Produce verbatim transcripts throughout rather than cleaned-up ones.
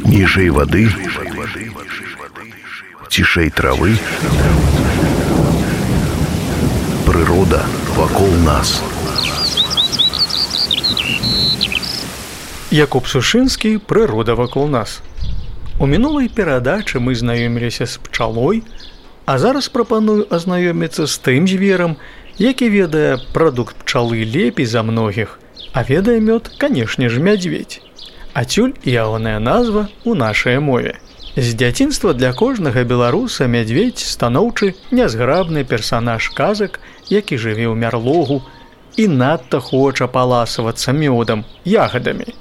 Ніжэй вады, цішэй травы, прырода вакол нас. Якуб Сушынскі «Прырода вакол нас». У мінулай перадачы мы знаёміліся з пчалой, а зараз прапаную азнаёміцца з тым зверам, які ведае прадукт пчалы лепей за многіх, а ведае мёд, канешне ж, мядзведзь. Ацюль ягоная назва ў нашай мове. З дзяцінства для кожнага беларуса мядзведзь станоўчы нязграбны персанаж казак, які жыве ў мярлогу і надта хоча паласавацца мёдам, ягадамі.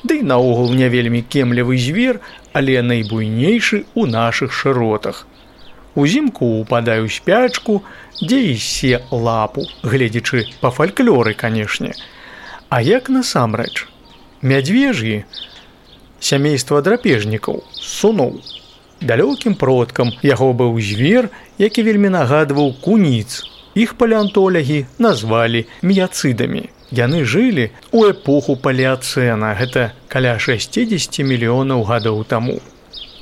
Ды і наогул не вельмі кемлівы звер, але найбуйнейшы ў нашых шыротах. Узімку упадае ў спячку, дзе і се лапу, гледзячы па фальклоры, канешне. А як насамрэч? Мядзвеж'і, сямейства драпежнікаў, суноў. Далёкім продкам яго быў звер, які вельмі нагадваў куніц. Іх палеантолагі назвалі міяцыдамі. Яны жылі ў эпоху палеацэна, гэта каля шэсцідзесят мільёнаў гадоў таму.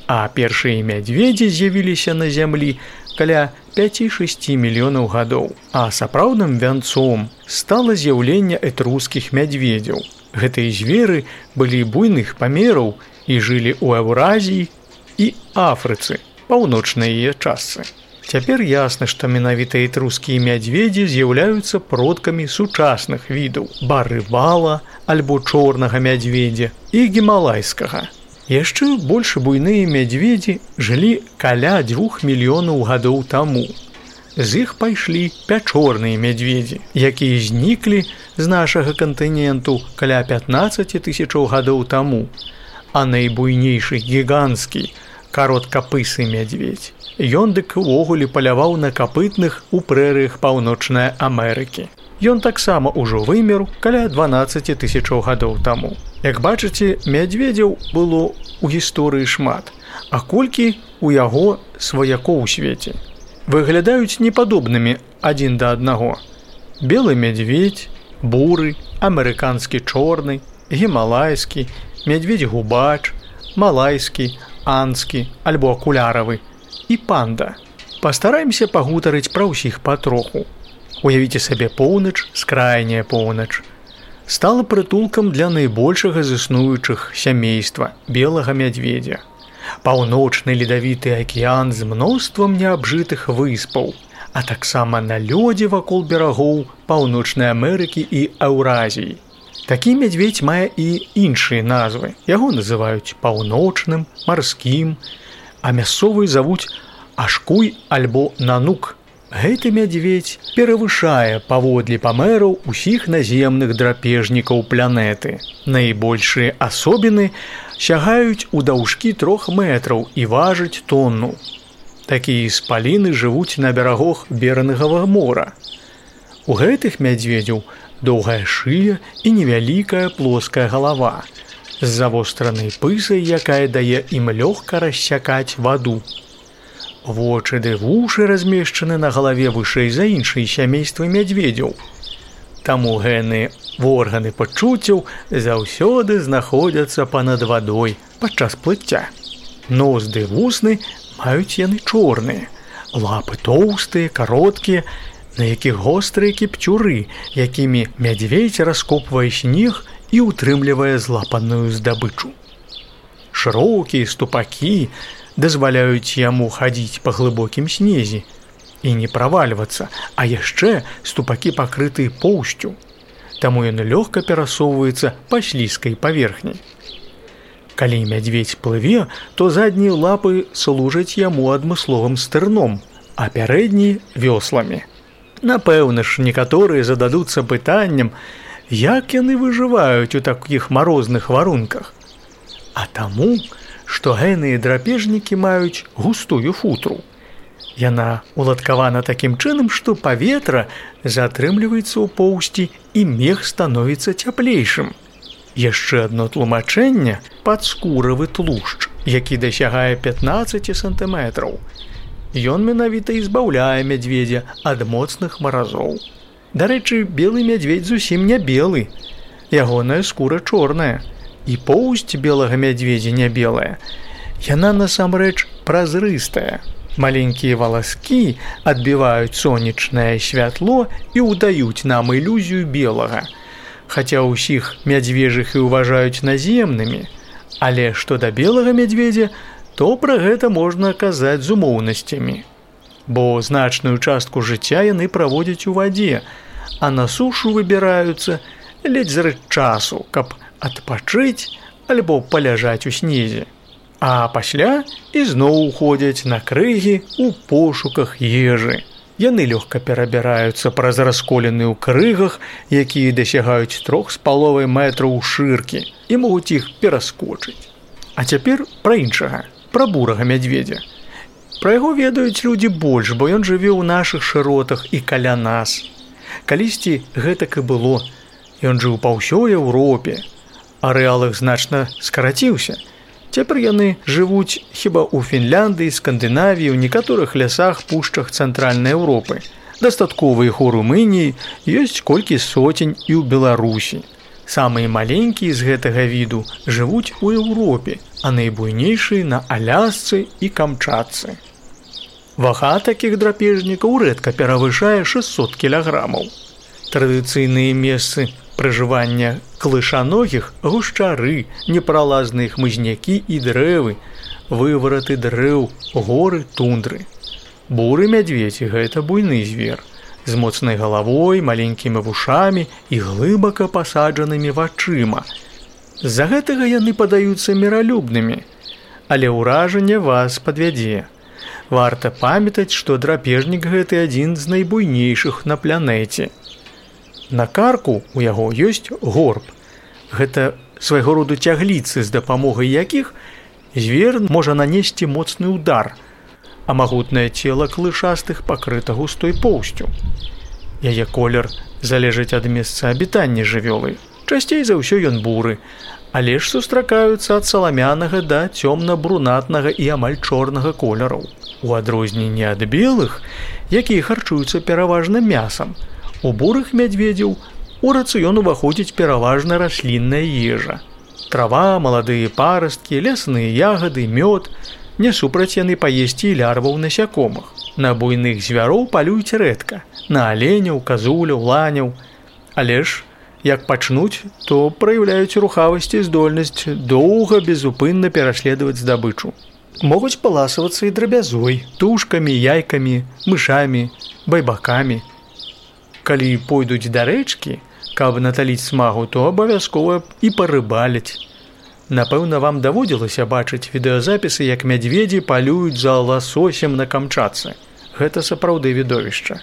А першыя мядзведзі з'явіліся на зямлі каля пяць-шэсць мільёнаў гадоў. А сапраўдным вянцом стала з'яўленне этрускіх мядзведзяў. Гэтыя зверы былі буйных памераў і жылі ў Еўразіі і Афрыцы, паўночнай яе частцы. Цяпер ясна, што менавіта этрускія мядзведзі з'яўляюцца продкамі сучасных відаў барывала альбо чорнага мядзведзя і гімалайскага. Яшчэ больш буйныя мядзведзі жылі каля дзвюх мільёнаў гадоў таму. З іх пайшлі пячорныя мядзведзі, якія зніклі з нашага кантыненту каля пятнаццаць тысячаў гадоў таму, а найбуйнейшы гіганцкі кароткапысы мядзведзь. Ён дык увогуле паляваў на капытных у прэрыях Паўночнай Амерыкі. Ён таксама ўжо вымер каля дванаццаць тысячаў гадоў таму. Як бачыце, мядзведзяў было ў гісторыі шмат, а колькі ў яго сваякоў у свеце. Выглядаюць непадобнымі адзін да аднаго. Белы мядзведзь, буры, амерыканскі чорны, гімалайскі, мядзведзь-губач, малайскі, анскі альбо акуляравы і панда. Пастараемся пагутарыць пра ўсіх патроху. Уявіце сабе поўнач, скрайняя поўнач. Стала прытулкам для найбольшага з існуючых сямейства белага мядзведзя. Паўночны ледавіты акіян з мноствам неабжытых выспаў, а таксама на лёдзе вакол берагоў Паўночнай Амерыкі і Еўразіі. Такі мядзведзь мае і іншыя назвы. Яго называюць паўночным, марскім, а мясцовыя завуць ашкуй альбо нанук. Гэты мядзведзь перавышае паводле памераў усіх наземных драпежнікаў планеты. Найбольшыя асобіны сягаюць у даўжкі трох метраў і важаць тонну. Такія спаліны жывуць на берагах Берынгавага мора. У гэтых мядзведзяў доўгая шыя і невялікая плоская галава з завостранай пысай, якая дае ім лёгка рассякаць ваду. Вочы ды вушы размешчаны на галаве вышэй за іншыя сямействы мядзведзяў. Таму генныя органы пачуццяў заўсёды знаходзяцца па-над вадой падчас плыцця. Нос ды вусны маюць яны чорныя, лапы тоўстыя, кароткія, на якіх гострыя кіпцюры, якімі мядзведзь раскопвае снег і ўтрымлівае злапаную здабычу. Шырокія ступакі дазваляюць яму хадзіць па глыбокім снезе і не правальвацца, а яшчэ ступакі пакрыты поўсцю, таму ён лёгка перасоўваецца па слізкай паверхні. Калі мядзведзь плыве, то заднія лапы служаць яму адмысловым стырном, а пярэднія вёсламі. Напэўна ж, некаторыя зададуцца пытаннем, як яны выжываюць у такіх марозных варунках. А таму, што генныя драпежнікі маюць густую футру. Яна уладкавана такім чынам, што паветра затрымліваецца ў поўсці і мех становіцца цяплейшым. Яшчэ адно тлумачэнне – падскуравы тлушч, які дасягае пятнаццаць сантыметраў. Ён менавіта і збаўляе мядзведзя ад моцных маразоў. Дарэчы, белы мядзведзь зусім не белы. Ягоная скура чорная. І поўсць белага мядзведзя не белая, яна насамрэч празрыстая. Маленькія валаскі адбіваюць сонечнае святло і ўдаюць нам ілюзію белага. Хаця ўсіх мядзвежых і ўважаюць наземнымі, але што да белага мядзведзя, то пра гэта можна казаць з умоўнасцямі. Бо значную частку жыцця яны праводзяць у вадзе, а на сушу выбіраюцца ледзь зрэд часу, каб адпачыць альбо паляжаць у снезе. А пасля ізноў уходзяць на крыгі ў пошуках ежы. Яны лёгка перабіраюцца праз расколіны ў крыгах, якія дасягаюць трох з паловай метраў шыркі і могуць іх пераскочыць. А цяпер пра іншага, пра бурага мядзведзя. Пра яго ведаюць людзі больш, бо ён жыве ў нашых шыротах і каля нас. Калісьці гэтак і было. Ён жыў па ўсёй Еўропе. Арэал іх значна скараціўся. Цяпер яны жывуць хіба ў Фінляндыі, Скандынавіі, ў некаторых лясах, пушчах цэнтральнай Еўропы. Дастаткова іх у Румыніі, ёсць колькі соцень і ў Беларусі. Самыя маленькія з гэтага віду жывуць у Еўропе, а найбуйнейшыя на Алясцы і Камчатцы. Вага такіх драпежнікаў рэдка перавышае шэсцьсот кілаграмаў. Традыцыйныя месцы пражывання клышаногіх – гушчары, непралазныя хмызнякі і дрэвы, вывараты дрэў, горы, тундры. Буры мядзведзь – гэта буйны звер, з моцнай галавой, маленькімі вушамі і глыбака пасаджанымі вачыма. З-за гэтага яны падаюцца міралюбнымі, але ўражанне вас падвядзе. Варта памятаць, што драпежнік гэты адзін з найбуйнейшых на планеце. На карку у яго ёсць горб. Гэта свайго роду цягліцы, з дапамогай якіх звер можа нанесці моцны ўдар, а магутнае цела клышастых пакрыта густой поўсцю. Яе колер залежыць ад месца абітання жывёлы. Часцей за ўсё ён буры, але ж сустракаюцца ад саламянага да цёмна-брунатнага і амаль чорнага колераў. У адрозненні ад белых, якія харчуюцца пераважна мясам, у бурых мядзведзяў у рацыён уваходзіць пераважна раслінная ежа. Трава, маладыя парасткі, лясныя ягады, мёд. Не супраць яны паесці і лярваў насякомых. На буйных звяроў палююць рэдка, на аленяў, казуляў, ланяў. Але ж, як пачнуць, то праяўляюць рухавасць і здольнасць доўга безупынна пераследаваць здабычу. Могуць паласавацца і драбязой, тушкамі, яйкамі, мышамі, байбакамі. Калі пойдуць да рэчкі, каб наталіць смагу, то абавязкова і парыбаляць. Напэўна, вам даводзілася бачыць відэазапісы, як мядзведзі палююць за ласосем на Камчатцы. Гэта сапраўды відовішча.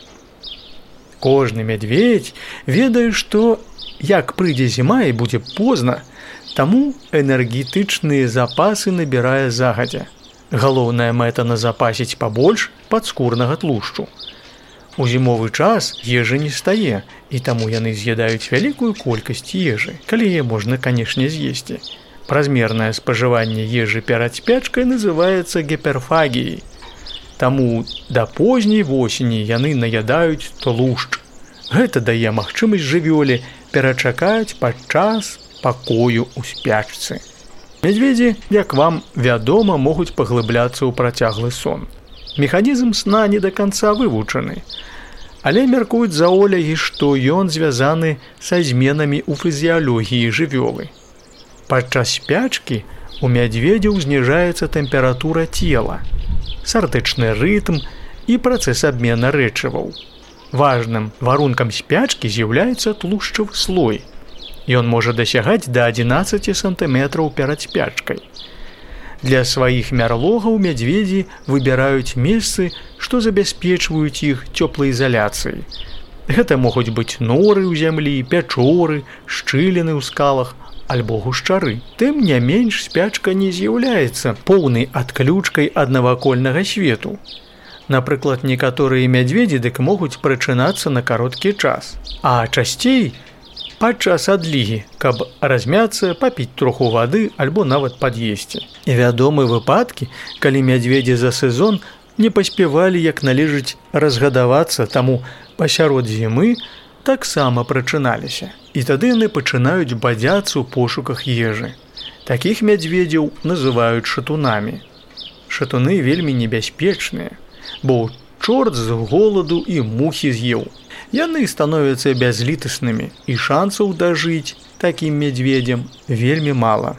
Кожны мядзведзь ведае, што як прыйдзе зіма і будзе позна, таму энергетычныя запасы набірае загадзя. Галоўная мэта назапасіць пабольш падскурнага тлушчу. У зімовы час ежы не стае, і таму яны з'ядаюць вялікую колькасць ежы, калі яе можна, канешне, з'есці. Празмернае спажыванне ежы перад спячкай называецца гіперфагіяй. Таму да позняй восені яны наядаюць тлушч. Гэта дае магчымасць жывёле перачакаць падчас пакою ў спячцы. Мядзведзі, як вам вядома, могуць паглыбляцца ў працяглы сон. Механізм сна не да канца вывучаны, але мяркуюць заолягі, што ён звязаны са зменамі ў фізіялогіі жывёлы. Падчас спячкі у мядзведзяў зніжаецца тэмпература цела, сардэчны рытм і працэс абмена рэчываў. Важным варункам спячкі з'яўляецца тлушчавы слой. Ён можа дасягаць да адзінаццаці сантыметраў перад спячкай. Для сваіх мярлогаў мядзведзі выбіраюць месцы, што забяспечваюць іх цёплаізаляцыяй. Гэта могуць быць норы ў зямлі, пячоры, шчыліны ў скалах альбо гушчары. Тым не менш, спячка не з'яўляецца поўнай адключкай ад навакольнага свету. Напрыклад, некаторыя мядзведзі дык могуць прачынацца на кароткі час, а часцей падчас адлігі, каб размяцца, папіць троху вады альбо нават пад'есці. І вядомы выпадкі, калі мядзведзі за сезон не паспявалі як належыць разгадавацца, таму пасярод зімы таксама прачыналіся. І тады яны пачынаюць бадзяцца ў пошуках ежы. Такіх мядзведзяў называюць шатунамі. Шатуны вельмі небяспечныя, бо чорт з голаду і мухі з'еў. Яны становяцца бязлітаснымі, і шансаў дажыць такім мядзведзям вельмі мала.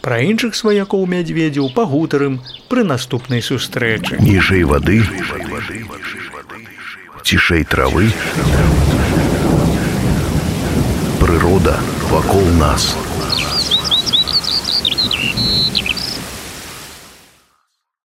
Пра іншых сваякоў мядзведзяў пагутарым пры наступнай сустрэчы. Ніжэй вады, цішэй травы, прырода вакол нас.